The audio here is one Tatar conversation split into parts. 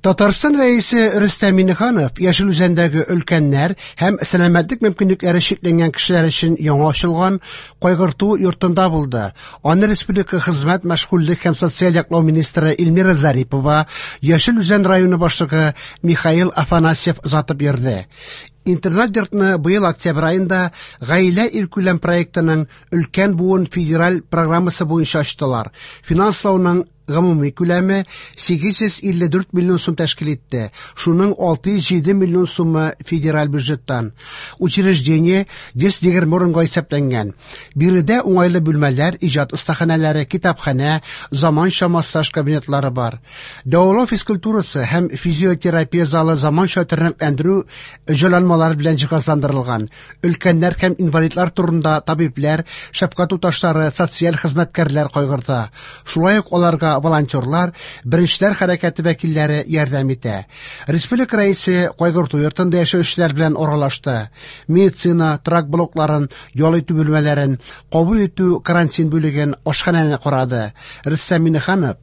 Татарстан Рәисе Рөстәм Миңнеханов Яшел Үзәндәге өлкәннәр һәм сәламәтлек мөмкинлекләре чикләнгән кешеләр өчен яңа ачылган Кайгырту йортында булды. Аны республика хезмәт, мәшгульлек һәм социаль яклау министры Эльмира Зарипова, Яшел Үзән районы башлыгы Михаил Афанасьев озатып йөрде. Интернат-йортны быел октябрь аенда Гаилә илкүләм проектының Өлкән буын федераль программасы буенча ачтылар. Финанслауның гомуми күләме 854 миллион сум тәшкил итте. Шуның 607 миллион сумы федераль бюджеттан. Учреждение 120 урынга исәпләнгән. Биредә уңайлы бүлмәләр, иҗат остаханәләре, китапханә, заманча массаж кабинетлары бар. Дәвалау физкультурасы һәм физиотерапия залы заманча тернәкләндерү җайланмалары белән җиһазландырылган. Өлкәннәр һәм инвалидлар турында табибләр, шәфкать туташлары, социаль хезмәткәрләр кайгырта. Шулай ук аларга волонтерлар, Беренчеләр хәрәкәте вәкилләре ярдәм итә. Республика Рәисе кайгырту йортында яшәүчеләр белән аралашты. Медицина, торак блокларын, ял итү бүлмәләрен, кабул итү карантин бүлеген, ашханәне карады. Рөстәм Миңнеханов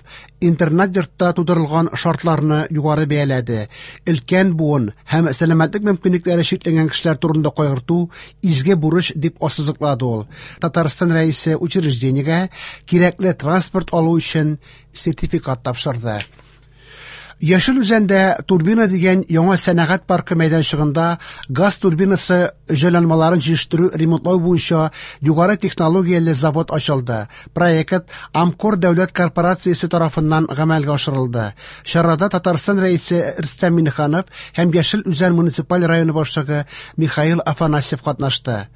интернат-йортта тудырылган шартларны югары бәяләде. Өлкән буын һәм сәламәтлек мөмкинлекләре чикләнгән кешеләр турында кайгырту изге бурыч дип ассызыклады ул. Татарстан Рәисе учреждениегә кирәкле транспорт алу өчен сертификат тапшырды. Яшел Үзәндә Турбина дигән яңа сәнәгать паркы мәйданчыгында газ турбинасы җайланмаларын җитештерү ремонтлау буенча югары технологияле завод ачылды. Проект Амкор дәүләт корпорациясе тарафыннан гамәлгә ашырылды. Чарада Татарстан Рәисе Рөстәм Миңнеханов һәм Яшел Үзән муниципаль районы башлыгы Михаил Афанасьев катнашты.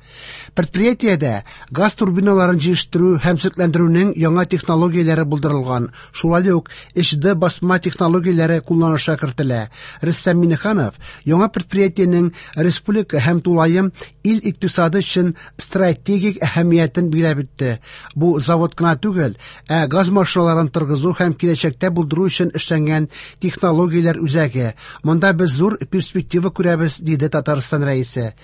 Предприятиедә газ турбиналарын җитештерү һәм төзекләндерүнең яңа технологияләре булдырылган. Шулай ук 3D басма технологияләре кулланышка кертелә. Рөстәм Миңнеханов яңа предприятиенең республика һәм тулаем ил икътисады өчен стратегик әһәмиятен билгеләп үтте. Бу завод кына түгел, ә газ машиналарын торгызу һәм киләчәктә булдыру өчен эшләнгән технологияләр үзәге. Монда без зур перспектива күрәбез, диде Татарстан Рәисе.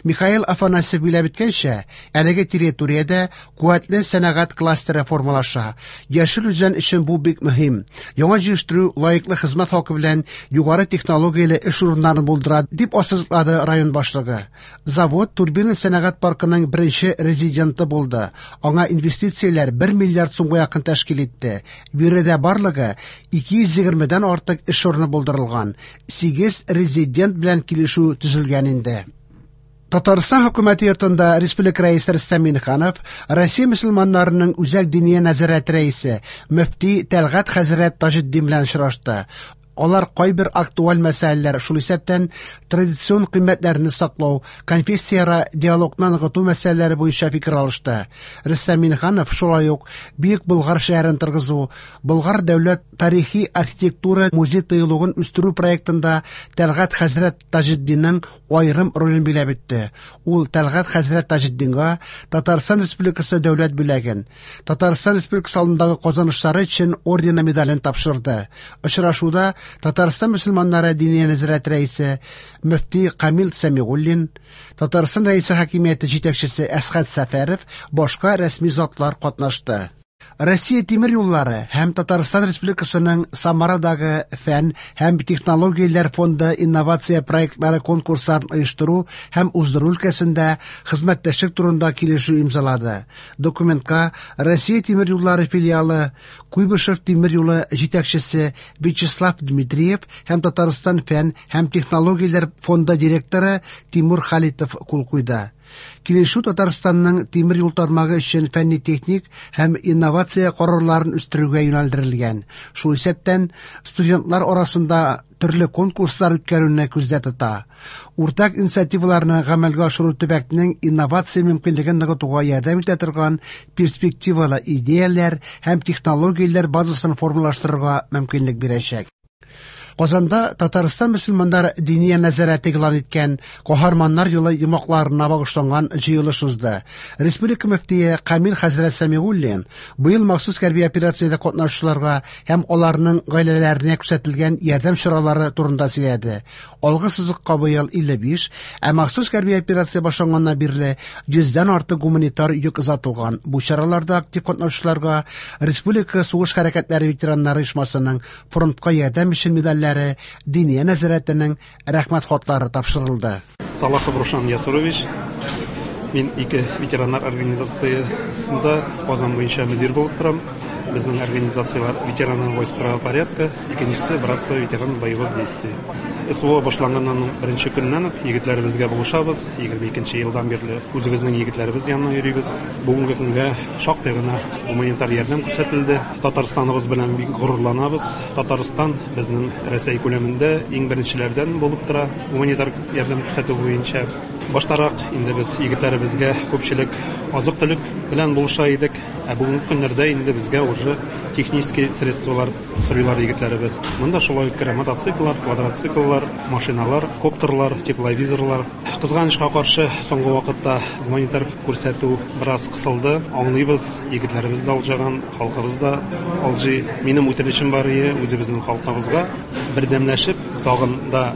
Михаил Афанасьев билгеләп үткәнчә, әлеге территориядә куәтле сәнәгать кластеры формалаша. Яшел Үзән өчен бу бик мөһим. Яңа җитештерү лаеклы хезмәт хакы белән югары технологияле эш урыннарын булдыра, дип ассызыклады район башлыгы. Завод Турбина сәнәгать паркының беренче резиденты булды. Аңа инвестицияләр 1 миллиард сумга якын тәшкил итте. Биредә барлыгы 220дән артык эш урыны булдырылган. 8 резидент белән килешү төзелгән инде. Татарстан хөкүмәте йортында республика рәисе Рөстәм Миңнеханов Россия мөселманнарының Үзәк диния нәзарәте рәисе мөфти Тәлгать хәзрәт Таҗетдин белән очрашты. Алар кайбер актуаль мәсьәләләр, шул исәптән традицион кыйммәтләрне саклау, конфессияара диалогны ныгыту мәсьәләләре буенча фикер алышты. Рөстәм Миңнеханов шулай ук Бөек Болгар шәһәрен торгызу, Болгар дәүләт тарихи архитектура музей тыюлыгын үстерү проектында Тәлгать хәзрәт Таҗетдинның аерым ролен биләп үтте. Ул Тәлгать хәзрәт Таҗетдинга Татарстан Республикасы дәүләт бүләген, Татарстан Республикасы алдындагы казанышлары өчен ордены медален тапшырды. Очрашуда Татарстан мөселманнары диния нәзарәте рәисе мөфти Камил Сәмигуллин, Татарстан Рәисе хакимияте җитәкчесе Әсхәт Сәфәров, башка рәсми затлар катнашты. Россия тимер юллары һәм Татарстан Республикасының Самарадагы фән һәм технологияләр фонды инновация проектлары конкурсларын оештыру һәм уздыру өлкәсендә хезмәттәшлек турында килешү имзалады. Документка Россия тимер юллары филиалы Куйбышев тимер юлы җитәкчесе Вячеслав Дмитриев һәм Татарстан фән һәм технологияләр фонды директоры Тимур Халитов кул куйды. Килешү Татарстанның тимер юл тармагы өчен фәнни-техник һәм инновация карарларын үстерүгә юнәлдерелгән. Шул исәптән студентлар арасында төрле конкурслар үткәрүне күздә тота. Уртак инициативаларны гамәлгә ашыру төбәкнең инновация мөмкинлеген ныгытуга ярдәм итә торган перспективалы идеяләр һәм технологияләр базасын формалаштырырга мөмкинлек бирәчәк. Казанда Татарстан мөселманнар диния нәзарәте игълан иткән Каһарманнар юлы йомгакларына багышланган җыелыш узды. Республика мөфтие Камил хәзрәт Сәмигуллин быел махсус хәрби операциядә катнашучыларга һәм аларның гаиләләренә күрсәтелгән ярдәм чаралары турында сөйләде. Алгы сызыкка быел 55, ә махсус хәрби операция башланганнан бирле 100дән артык гуманитар йөк озатылган. Бу чараларда актив катнашучыларга Республика сугыш хәрәкәтләре ветераннары оешмасының фронтка ярдәм өчен медальләре вәкилләре, Диния нәзарәтенең Рәхмәт хатлары тапшырылды. Салахов Рушан Ясурович, мин ике ветераннар организациясендә Казан буенча мөдир булып торам. Безнең организацияләр ветераны войск правопорядка, икенчесе братство ветеран боевых действий. СВО башланганнан беренче көннән үк егетләребезгә булышабыз. 22 елдан бирле үзебезнең егетләребез янына йөрибез. Бүгенге көнгә шактый гына гуманитар ярдәм күрсәтелде. Татарстаныбыз белән бик горурланабыз. Татарстан безнең Рәсәй күләмендә иң беренчеләрдән булып тора гуманитар ярдәм күрсәтү буенча. Баштарак инде без егетләребезгә күпчелек азык-төлек белән булыша идек. Ә бүгенге көннәрдә инде безгә уже технический средстволар сорыйлар егетләребез. Монда шулай ук керә мотоцикллар, квадроцикллар, машиналар, коптерлар, тепловизорлар. Кызганычка каршы, соңгы вакытта гуманитар күрсәтү бераз кысылды. Аңлыйбыз, егетләребез дә алҗыган, халкыбыз да алҗый. Минем үтенечем бар ие үзебезнең халкыбызга бердәмләшеп, тагын да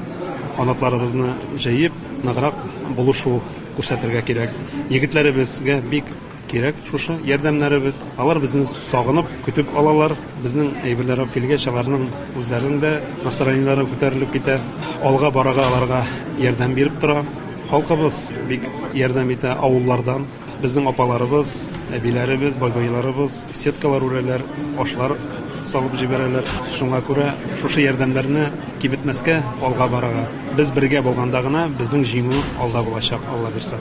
канатларыбызны җәеп, ныграк булышу күрсәтергә кирәк. Егетләребезгә бик кирәк шушы ярдәмнәребез. Алар безне сагынып, көтеп алалар. Безнең әйберләр алып килгәч, аларның үзләренең дә настроениеләре күтәрелеп китә. Алга барырга аларга ярдәм биреп тора. Халкыбыз бик ярдәм итә авыллардан. Безнең апаларыбыз, әбиләребез, бабайларыбыз сеткалар үрәләр, ашлар салып җибәрәләр. Шуңа күрә шушы ярдәмнәрне киметмәскә, алга барырга. Без бергә булганда гына безнең җиңү алда булачак, Алла бирсә.